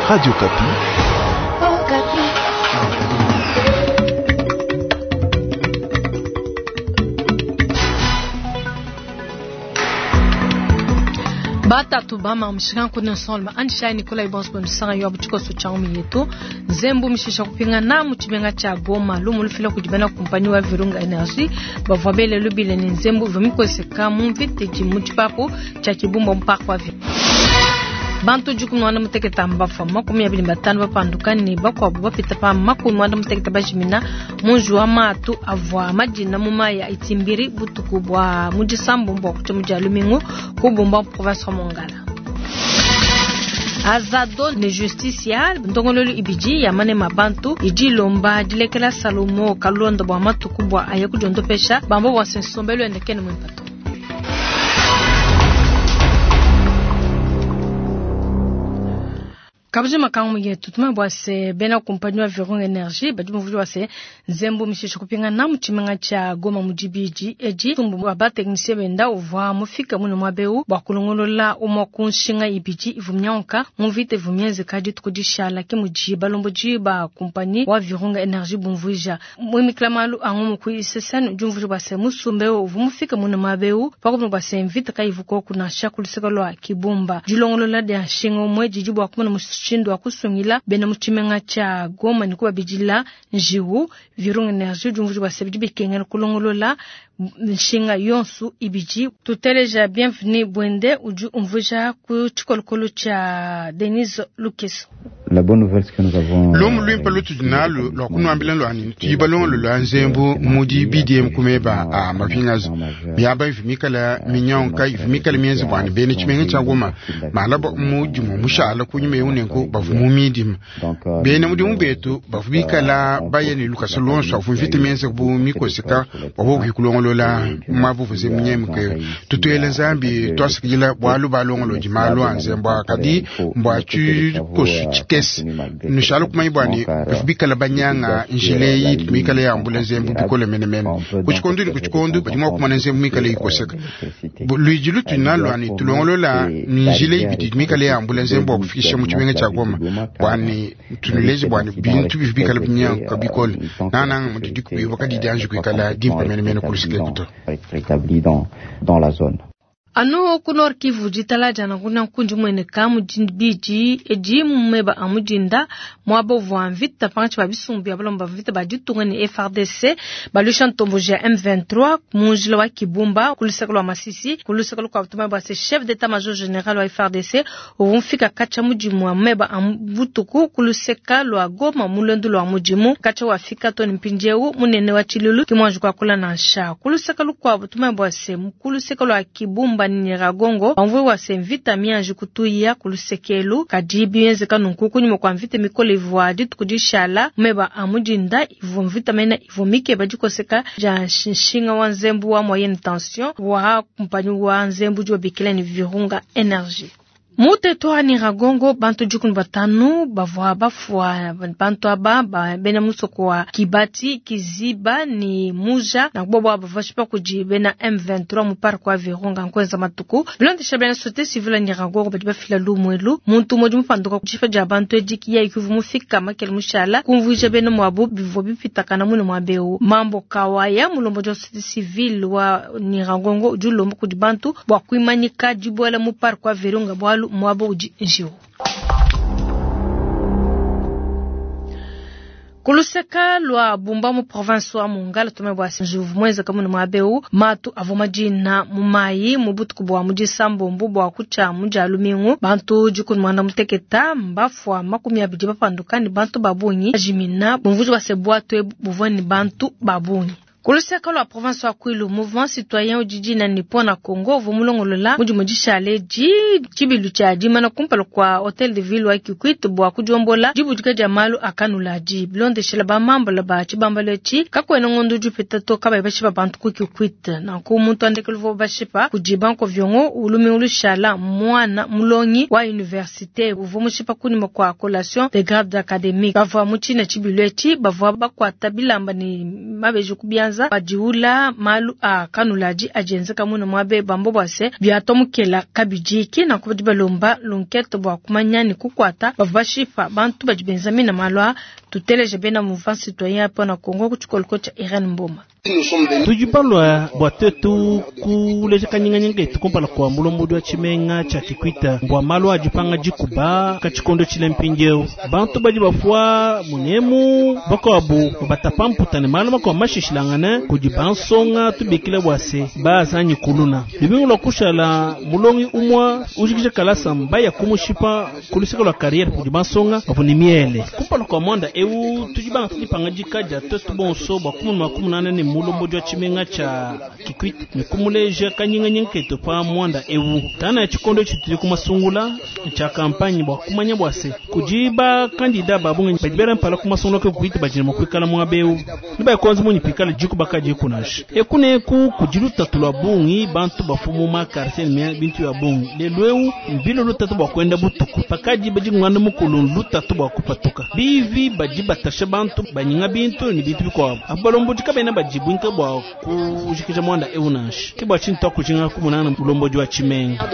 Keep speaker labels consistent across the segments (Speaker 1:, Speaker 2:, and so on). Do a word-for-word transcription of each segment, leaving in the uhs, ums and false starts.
Speaker 1: Radio Okapi.
Speaker 2: Oh, Okapi.
Speaker 3: Batatu bama mshika nkuni nsolma anshai Nikolai Bonsbo msanga yo abuchiko changu yetu nzembu mishisha kupinga na muchibenga cha Goma lumu lufila kujibana kumpani wa Virunga Energy bavwa bele lubile ni nzembu vimikoseka mu mvite muchipapu cha Kibumba mpaka wa bantu juku mwana muteketa mbafa makumi abili batano bapanduka ni bakwabo bapita pa makumi mwana muteketa bajimina munju wa matu avwa majina mu maya itimbiri butuku bwa mujisambu mbwa kucha muja lumingu kubumba province wa Mongala. Azado ne justicia ndongololu ibiji ya mane mabantu iji lomba dilekela Salomo kalonda bwa matuku bwa aya kujondopesha bambo bwa sensombelo endekene mwimpato. Kabuje makangu yetu tume bwase bena kumpanyi wa Virunga Energy badi mvuji wase nzembo mishisho kupinga na muchimenga cha Goma mujibiji eji tumbu wa ba technicien benda uvwa mufika muno mwabeu bwa kulongolola umwa kunshinga ibiji ivumnyanka muvite vumyenze kadi tukudishala ke muji balombo ba kumpanyi wa Virunga Energy bumvuja mwimikla malu angu ku isesenu jumvuji bwase musumbe uvumufika muno mwabeu pakumu bwase mvita kaivuko kuna shakuliseka lwa Kibumba dilongolola dia nshinga umwe jiji bwa kumuna mushindu wa kusungila bena muchimenga cha Goma ni kuba bijila njiwu Virunga Energy jumvuji bwase bidi bikengela kulongolola nshinga yonsu ibiji tuteleja Bienvenue Bwende uju umvuja ku chikolokolo cha Denise Lukeso.
Speaker 4: La bonne nouvelle que nous avons
Speaker 5: lumu lwimpe lutudi nalu lwa kunuambila lwani tuyiba longolo lwa nzembu mudi B D M kumeba a mapingazo miaba ivi mikala minyonka ivi mikala mienzi bwani bene chimenga cha Goma malaba mudi mu mushala kunyuma yeunenku bavu mu midima bene mudi mubetu bavu bikala bayeni lukasa lonso avu mvita mienzi bu mikoseka babo kuikulongolola mwavuvuze munyemuke tutuele nzambi twasikila bwalu balongolo di malu a nzembu akadi mbwa chikosu chikese nushalo kumanyi bwani bikala banyanga njile yi mikala ya ambula nzembu bikole menemene kuchikondu ni kuchikondu badi mwa kumana nzembu mikala ikoseka luiji lutu nalwani tulongolola njile ibidi mikala ya ambula nzembu akufikisha mu chimenga cha Goma bwani tunulezi bwani bintu bikala binyanga bikole nananga mudidi kubiwa kadi dianji kuikala dimpa menemene kulusike kuto
Speaker 4: rétabli dans dans la zone.
Speaker 3: Anu ku Nord Kivu ditala jana kuna nkundi mwene ka mujibiji eji mumeba amujinda mwabo vwa mvita panchi ba bisumbu ya balomba mvita ba ditunga ni F R D C balusha ntombo ja M vingt-trois munjila wa Kibumba kulusaka lwa Masisi kulusaka lwa tuma ba se chef d'état-major général wa F R D C uvumfika kacha mujimu wa meba ambutuku kuluseka lwa Goma mulendu lwa mujimu kacha wa fika toni mpinjeu munene wa chilulu kimwanju kwa kula na nsha kulusaka lwa tuma ba se kuluseka lwa Kibumba Nyiragongo bamvwe wa se mvita mianji kutuya kulusekelu kadi bienze kanunku kunyuma kwa mvita mikole ivwa ditukudishala meba amujinda ivo mvita mena ivo mike badikoseka ja nshinga wa nzembu wa moyenne tension wa kumpanyi wa nzembu jwa bikila ni Virunga Energy. Muteto wa Nyiragongo bantu jukunu batanu bavwa bafwa bantu aba ba bena musoko wa Kibati Kiziba ni Muja na kubwa bavashipa kuji bena M vingt-trois mu parc wa Virunga nkwenza matuku bilondesha bena société civile Nyiragongo badi bafila lumwelu muntu moja mupanduka kujifa ja bantu ediki ya ikuvu mufika makele mushala kumvuja bena mwabu bivwa bipitakana mune mwabeu mambo kawaya mulombo ja société civile wa Nyiragongo julombo kudi bantu bwa kuimanyika jibwela mu parc wa Virunga bwalu mwabo uji njiwo. Kuluseka lwa Bumba mu province wa Mongala tume bwa njuvu mweza kamuna mwabeu matu avoma jina mumayi mubutuku bwa mujisambo mbu bwa kucha muja lumingu bantu jukun mwana muteketa mbafwa makumi abidi bapanduka ni bantu babunyi jimina bumvuji bwa sebwatwe buvwa ni bantu babunyi. Kuluseka lwa province wa Kwilu, mouvement citoyen ujiji na nipo na Congo vumulongolola muji mujishale ji chibilu cha jimana kumpala kwa hotel de ville wa Kikwit bwa kujombola jibujuka ja malu akanula ji bilondeshela ba mambo ba chibambalo chi kakwena ngondo jupita to kaba bashipa bantu ku Kikwit na ku muntu andekelo vo bashipa kujibanko vyongo ulumi ulushala mwana mulongi wa université uvumushipa kunima kwa collation de grade académique bavwa muchina chibilu echi bavwa bakwata bilamba ni mabeju kubianza bianza badiula malu a kanuladi adi enzeka muna muabe bambo bua se biatomukela kabidi kina ko badi balomba l'enquête bua kumanya ne kukwata bavua bashipa bantu badi benza mina malu a tuteleje bena mouvement citoyen pona Congo ku tshikoloko tsha Irene Mboma.
Speaker 1: Tudi balwa bua tetu kuleja kanyinganyinga etu kumpala kua mulombodi wa tshimenga tshia Kikwit bua malu adi panga dikuba katshikondo tshile mpindieu bantu badi bafua munemu bakuabu batapa mputa ne malu makuabu mashishilangane kudi bansonga tubikile bua se bazanyi kuluna lubingu lua kushala mulongi umwa ujikija kalasa mbaya kumushipa kulusika lua karriere kudi bansonga bavua ne miele kumpala kua mwanda eu tudi banga tudipanga dikadia tetu bonso bua kumunu makumunana ne mulombodi wa tshimenga tshia Kikwit ne kumuleja kanyinganyinga ketu pa mwanda eu tana ya tshikondo tshitudi kumasungula tshia kampanye bua kumanya bua se kudi bakandida babungi badi bela mpala kumasungula ke Kikwit badi mua kuikala muaba eu ne bakonza munyi pikala diku bakadi kunasha eku ne eku kudi lutatu lua bungi bantu bafumu ma quartier ne bintu ya bungi lelu eu mbilo lutatu bua kuenda butuku pakadi badi ngwanda mukulu lutatu bua kupatuka bivi badi batasha bantu banyinga bintu ne bintu bikuabu abu balombodi kabena badibwinka bua kujikija mwanda eu nansha ke bua tshintu akujinga kumunana mulombodi wa tshimenga.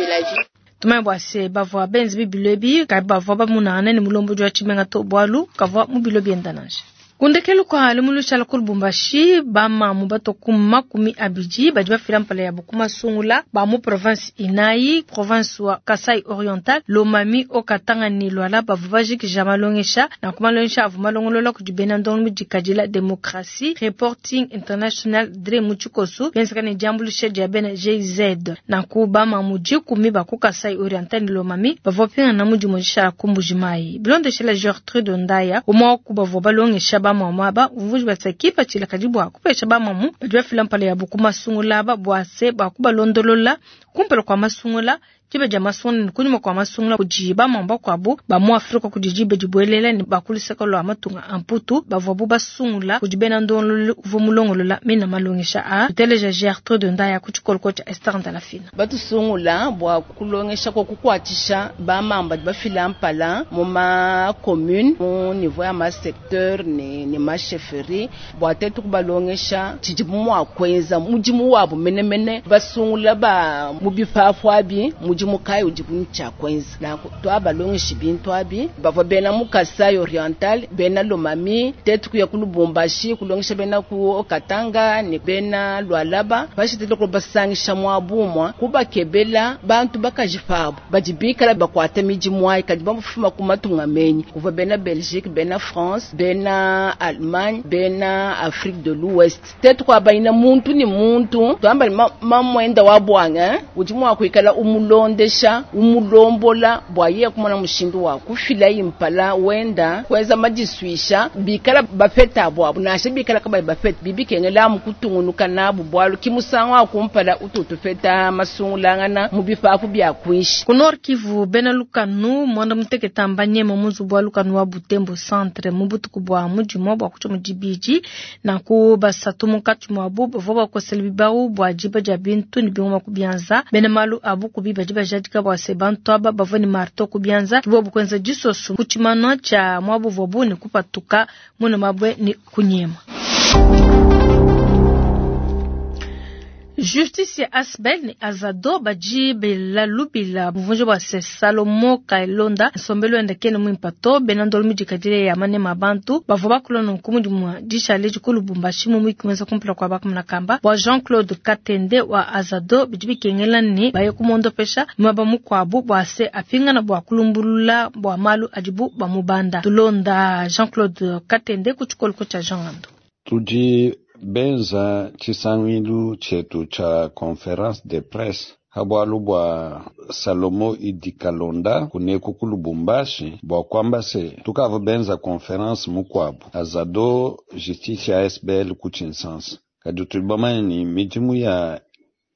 Speaker 3: Tumanye bua se bavua benzi bibilo ebi kabi bavua bamunana ne mulombodi wa tshimenga to bualu kavua mu bilo bienda nansha. Kundekelu kwa limulushala ku Lubumbashi bamamu bato ku makumi abidi badi bafila mpala yabo ku masungula ba mu province inayi province wa Kasai Oriental Lomami Haut-Katanga ne Lualaba bavua bajikija malongesha na ku malongesha avua malongolola kudi bena ndongo mudikadila Democracy Reporting International D R mu tshikoso bienzeka ne diambuluisha dia bena G I Z na ku bamamu dikumi ba ku Kasai Oriental ne Lomami bavua pingana mu dimodisha ku Mbujimayi bilondeshela Gertrude Ndaya umwe wa ku bavua balongesha bamamu aba uvuji basakipa tshilakadi bua kupesha bamamu badi bafila mpala yabo ku masungula aba bua se bua kubalondolola kumpala kua masungula diba dia masungula ne kunyima kua masungula kudi bamamu bakuabu ba mu Afrika kudi diba dibuelela ne bakuluseka lua matunga a mputu bavuabu basungula kudi bena ndongololo uvua mulongolola mena malongesha a tuteleja Gertrude Ndaya ku tshikoloko tshia Esther Ndalafina.
Speaker 6: Batusungula bua kulongesha kwa kukuatshisha bamamu badi bafila mpala mu ma commune mu niveau ya ma secteur ne, ne ma chefferie bua tetu kubalongesha tshidibu mua kuenza mudimu wabu menemene basungula ba mu bifafu abi mudimu kai udibu ne tshia kuenza. Nanku twabalongeshi bintu abi bavua bena mu Kasai Oriental bena Lomami tetu kuya ku Lubumbashi kulongesha bena ku Katanga ne bena Lualaba pashishe tetu kubasangisha muabumwa kubakebela bantu bakaji pabu badi bikala bakuata midimu ayi kadi bamufuma ku matunga menyi kuvua bena Belgique bena France bena Allemagne bena Afrique de l'Ouest tetu kwabayina muntu ni muntu twamba ma, mamwenda wa bwanga udi mua kuikala umulondesha umulombola bwa ye kumona mushindu wa kufila impala wenda kweza madiswisha bikala bafeta bwabu nashe bikala kabayi bafeta bibikengela mukutungunuka nabu bwalu kimusango akumpala ututufeta masungulangana mu bifafu bya kwishi.
Speaker 3: Ku Nord Kivu bena lukanu mwanda muteketa mbanyema muzubu wa lukanu wa Butembo centre mu butuku bwa mudimo bwa kucha mudibiji na ku basatu munkatshi mwabu bavua bakosela bibau bwa diba dia bintu ne bingoma ku bianza bena malu abu kubi badi bajadika bua se bantu aba bavua ne marto ku bianza kibobu kuenza disoso ku tshimanu tshia mwabu vuabu ne kupatuka muna mabwe ne kunyema. Justice ya Asbel ni Azado badi bela lubila buvunje bua se Salomo Kailonda nsombelu enda kene muimpato bena ndolo midikadile ya manema bantu bavua bakulona nkumu dimua dishale dikulu Lubumbashi mu mwiki mwenza kumpala kua bakamuna kamba bua Jean-Claude Katende wa Azado bidi bikengela ne baye kumondopesha mwaba mukuabu bua se apingana bua kulumbulula bua malu adibu bamubanda. Tulonda Jean-Claude Katende ku tshikoloko tshia Jean Ngando.
Speaker 7: Tudi benza tshisangilu tshietu tsha conférence de presse habwalu bwa Salomo Idi Kalonda kuneku ku Lubumbashi bua kwamba se tukava benza conférence mukuabu Azado justice ya S B L ku Tshinsansa kadi tudi bamanye ni midimu ya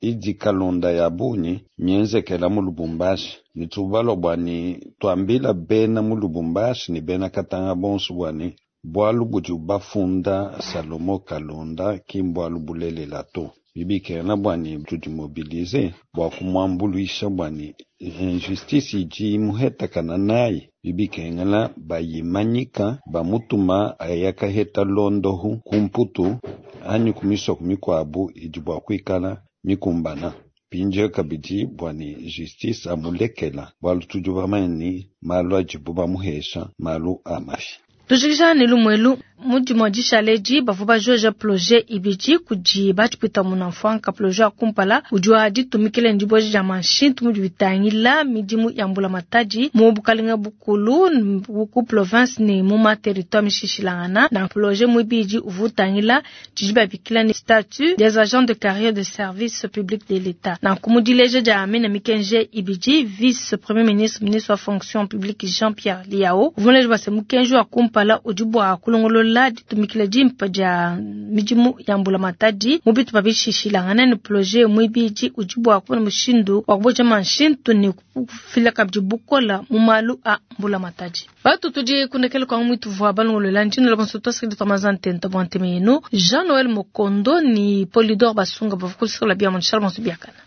Speaker 7: Idi Kalonda ya bunyi mienzekela mu Lubumbashi ni tubalwa bua ni twambila bena mu Lubumbashi ni bena Katanga bonso bua ni bwalu budi bafunda Salomo Kalonda ki mbwalu bulelela to. Bibikena bua ni tudi mobilize bua kumwambuluisha bua ni injustice idi imuhetakana nayi. Bibikengela bayimanyika bamutuma ayakaheta londohu kumputu Anyi ku misoko mikuabu idi bua kuikala mikumbana. Mpindieu kabidi bua ne justice amulekela bualu tudi bamanye ne malu adibu bamuhesha malu a mafi.
Speaker 3: Tujikija ne lumuelu mu dimue dishale edi bavua bajoja projet ibidi kudi batshipwita munamfuanka. Projet wa kumpala udi wa ditumikila ne dibueja dia manshintu mudi bitangila midimu ya mbulamatadi mu bukalenga bukulu ku province ne mu ma territoire mishishilangana. Na projet muibidi uvua utangila tshidi babikila ne statut des agents de carrière de service public de l'État. Nanku mu dileja dia mina mikenji ibidi, vice premier ministre, ministre wa fonction publique Jean-Pierre Lihau uvua muleje bua se mukenji wa kumpala udi bua kulongolola ditumikila dimpe dia midimu ya mbulamatadi mu bitupa bishishilangana, ne projet muibidi udi bua kubona mushindu wa kubueja manshintu ne kufila kabidi bukola mu malu a mbulamatadi. Batu tudi kundekela kwa mwitu vua balongolola ntshino la bonso twasakidi twamaza ntenta bua nteme yenu. Jean Noël Mokondo ni Polydor Basunga bavua kulisakula bia mu nshala bonso biakana.